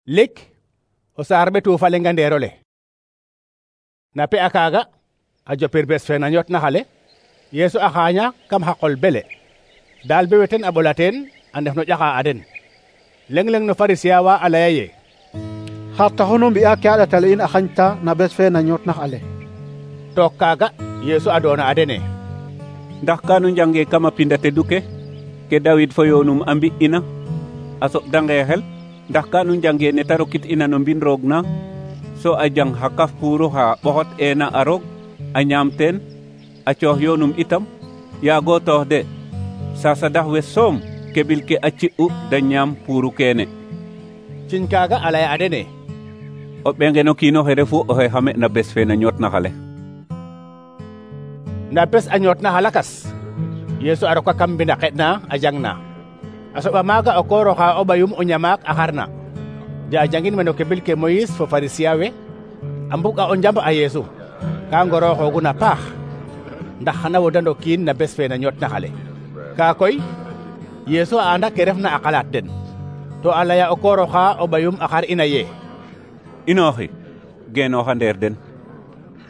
lik o saar ɓetu fa lenga ndeerole na pe a kaaga a jopir bes fe na ñoot na xale Yeesu a xaaña kam xa qol bele daal be weten a ɓolateen a ndef no ƴaxa a den leng no Pharisien wa a laya ye xar taxu nu mbi'a ke a ɗatale in a xañta na bes fe na ñoot na xale. took kaaga Yeesu a doona a dene ndax kanu njange kam a pinda tedu ke Dawid fo yoonum a mbi'ina a soɓdange xel ndax kanu njange ne ta rokit ina no mbin roog na so a jang xa kaf puuru xa ɓoxot eena a roog a ñaam teen a coox yoonum itam yaago toox de sasadax we soom keɓil ke a ci'u da ñaam puuru keene. ciñ kaaga a laya a dene o ɓengeno kiinoxe refu oxe xame na bes fe na ñoot na xale. na bes a ñoot na xalakas Yeesu a roka kam mbina xeɗna a jang na a soɓa maaga o koor oxa o ɓayum o ñamaak a xarna ja jangin meno keɓil ke Moyis fo Pharisien we a mbug'a o njamb a Yeesu ka ngorooxooguna paax ndax xana wodando kiin na bes fe na ñoot na xale kaa koy Yeesu a anda ke refna a xalaat den to a laya o koor oxa o ɓayum a xar ina ye inooxi geenooxa ndeer den.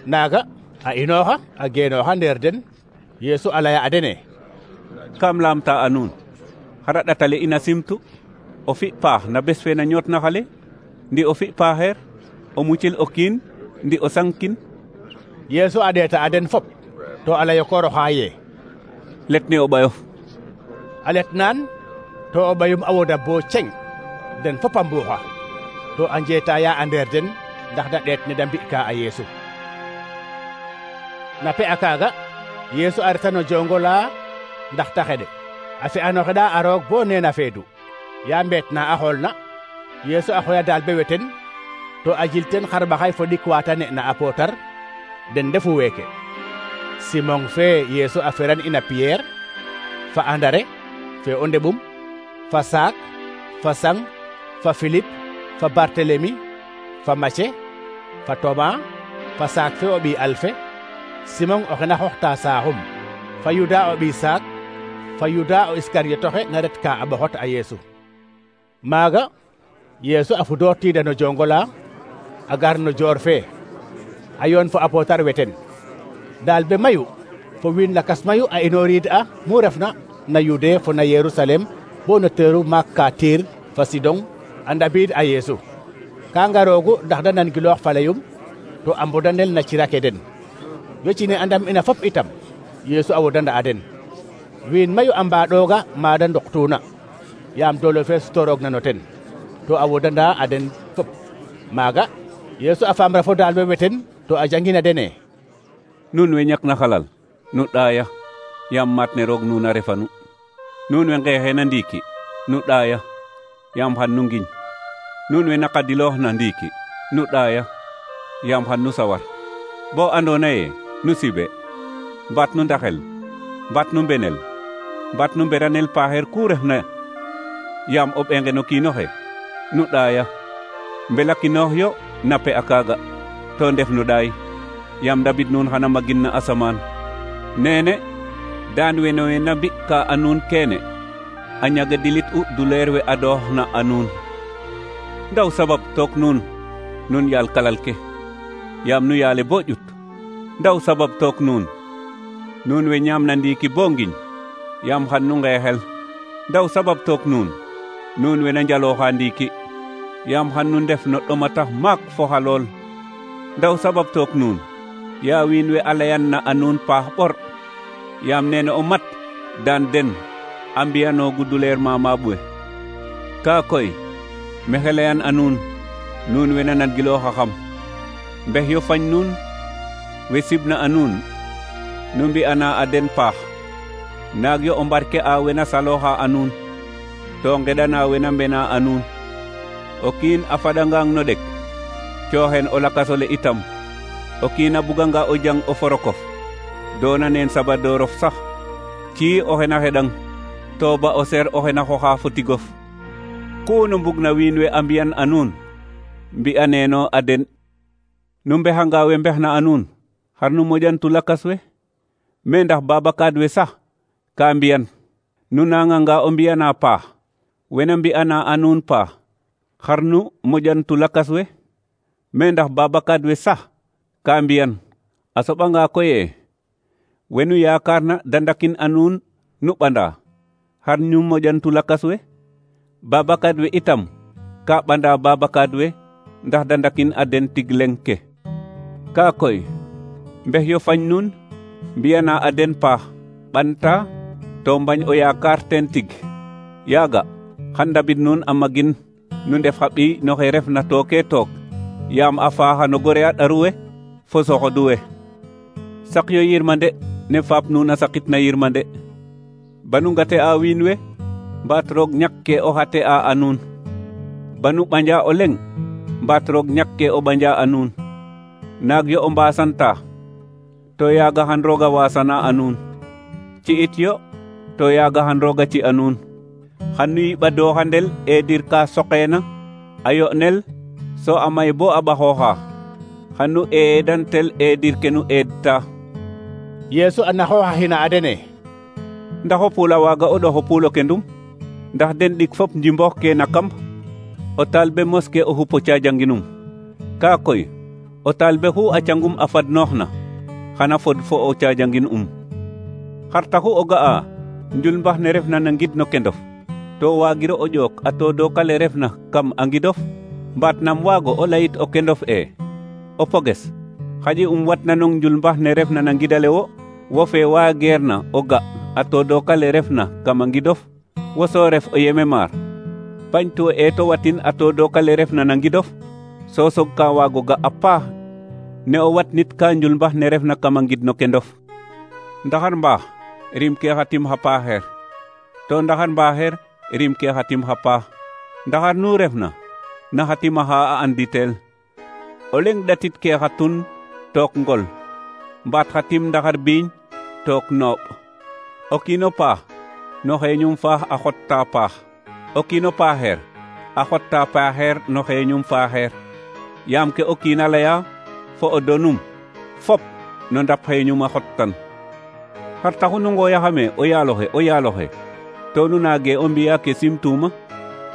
naaga a inooxa a geenooxa ndeer den Yeesu a laya a dene kam laamta a nuun xara ɗatale ina simtu o fi paax na bes fe na ñoot na xale ndi o fi paaxeer o mucil o kiin ndi o sangkin. Yeesu a ɗeeta a den fop to a lay o koor oxa ye let ne o ɓayof a let naan to o ɓayum a woda bo ceng den fop a mbuuxa to a njeetaya a ndeer den ndax da ɗeet ne da mbi'ka a Yeesu. na pe a kaaga Yeesu a reta no jongola ndax ta xeɗe a fi'ano xeɗa a roog bo neena feedu ya mbeet na a xoolna Yeesu a xoya daal be weten to a jil ten xarɓaxay fo ɗik wa ta ne'na a pootar den ndefu weeke Simon fe Yeesu a feran ina Pierre fa Andare fe o ndeɓum fa Saak fa Sang fa Philippe fa Barthélemy fa Mace fa Thomas fa Saak fe o ɓiy Alfe Simon oxe na xooxta saaxum fa Yuda o ɓiy Saak fa Yuda o Iskariotoxe na ret ka a ɓoxot a Yeesu. maaga Yeesu a fudoortiida no jongola a gar no joor fe a yoon fo a pootar weten daal be mayu fo wiin lakas mayu a inooriid a mu refna na Yude fo na Yerusalem bo no teeru maak ka Tiir fa Sidon a ndabiid a Yeesu ka ngaroogu ndax da nangiloox fa layum to a mbodanel na cirake den wecine a ndam ina fop itam Yeesu a wodanda a den wiin mayu a mbaaɗooga maada nduqtuuna yaam doole fe sutoroogna no ten to a wodanda a den fop maaga Yeesu a faamra fo daal we weten to a jangina dene nuun we ñakna xalal nu ɗaaya yaam maat ne roog nuun a refanu nuun we nqeexeena ndiiki nu ɗaaya yaam xan nu ngiñ nuun we naqadiloox na ndiiki nu ɗaaya yaam xan nu sawar bo andoona ye nu sibe mbaat nu ndaxel mbaat nu mbenel mbaat nu mberanel paaxeer ku refna yaam o ɓenge no kiinoxe nu ɗaaya mbelakinoox yo na pe a kaaga to ndef no ɗaay yaam ndabid nuun xana magin na asamaan neene daan weno we na mbi'ka a nuun keene a ñaga dilit u duleer we adoox na a nuun ndaw sabab took nuun nun yaal kalal ke yaam nu yaale bo ƴut ndaw sabab took nuun nuun we ñaam na ndiiki bo ngiñ yaam xan nu ngeexel ndaw sabab took nuun nuun we na njalooxa ndiiki yaam xan nu ndef no ɗomatax maak fo xalool ndaw sabab took nuun yaa wiin we a layan na a nuun paax ɓor yaam nene o mat daan den a mbiyanoogu duleer mamaab we kaa koy mexe layan a nuun nuun we na nangilooxaxam mbex yo fañ nuun we sibna a nuun nu mbi'ana a den paax naag yo o mbarke a we na salooxa a nuun to ngeɗana we na mbena a nuun o kiin a faɗangang no ɗek cooxen o lakasole itam o kiin a buganga o jang o forokof doona neen sabadoorof sax cii oxe na xeɗang to ba o ser oxe na xoxa fo tigof ku nu mbugna wiin we a mbi'an a nuun mbi'aneeno a den nu mbexanga we mbexna a nuun xar nu moƴantu lakas we me ndax babakaad we sax ka mbi'an nu nanganga o mbi'ana paax wena mbi'ana a nuun paax xarnu moƴantu lakas we me ndax babakaad we sax ka mbiyan a soɓanga koye wenu yakarna dandakin a nuun nu ɓanda xar ñu moƴantu lakas we babakaad we itam ka ɓanda babakaad we ndax dandakin a den tig leng ke ka koy mbex yo fañ nuun mbiyana a den paax ɓanta to mbañ o yaakaar teen tig yaaga xan ndabid nuun a magin nu ndef xa ɓiy no xe refna tooke took yaam a faaxa no gore a ɗaru we fo soxodu we sak yo yirmande ne faap nuun a sakit na yirmande banu ngate a wiin we mbaat roog ñak ke o xate a nuun banu ɓanja o leŋ mbaat roog ñak ke o ɓanja a nuun naag yo o mbasanta to yaaga xan rooga wasana a nuun ci it yo to yaaga xan rooga ci a nuun xan nu yiɓadooxandel eedir ka soqeena a yo'nel so a may bo a ɓaxooxa xan nu eedantel eedir ke nu eedta Yeesu a naxooxa xina a dene ndax o puul a waaga o ɗox o puul o kendum ndax den ɗik fop njimboox ke na kamb o talbe moske o xup o caajanginum kaa koy o talbe xu a cangum a fadnooxna xana fod fo o caajangin xar taxu o ga'a njulmbax ne refna na ngid no kendof to waagiro o ƴook a toodookale refna kam a ngidof mbaat nam waago o layit o kendof o poges xaƴi watna nong njulmbax ne refna na ngidale wo fe waageerna o ga a toodookale refna kam a ngidof wo so ref o yeme maar pañtu to watin a toodookale refna na ngidof so soog ka waago ga a paax ne o watnit ka njulmbax ne refna kam a ngid no kendof ndaxar mbaax rim ke xatim xa paaxeer to ndaxar mbaaxeer rim ke xatim xa paax ndaxar nu refna na xatima xa a anditel o leŋ ɗatit ke xatun took ngol mbaat xatim ndaxar biiñ took nooɓ o kiino paax no xeeñum faax a xotta paax o kiino paaxeer a xotta paaxeer no xeeñum faaxeer yaam ke o kiina laya fo o donum fop no ndap xeeñum a xottan xar taxu nu ngooyaxame o yaaloxe to nu naage o mbiya ke simtuuma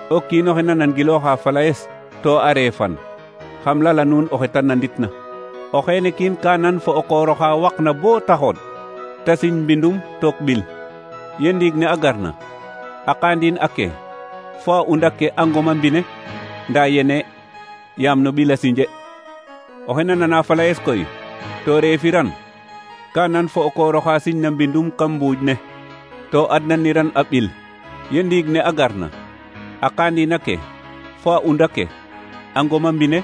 o kiinoxe na nangilooxa falayes to a reefan xam lala nuun oxe ta nanditna o xeene kiin ka nan fo o kooroxa waqna bo taxoon ta siñ mbindum took ɓil ye ndiig ne a garna a qaandiin ake fo a unda ke a ngoma mbine ndaa yene yaam no ɓil a sinje oxe na nana falayes koy to reefiran ka nan fo o kooroxa siñna mbindum kam mbuuj ne to adnaniran a ɓil ye ndiig ne a garna a qaandiin ake fo a unda ke a ngoma mbine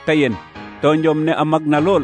ta yen to njom ne a magna lool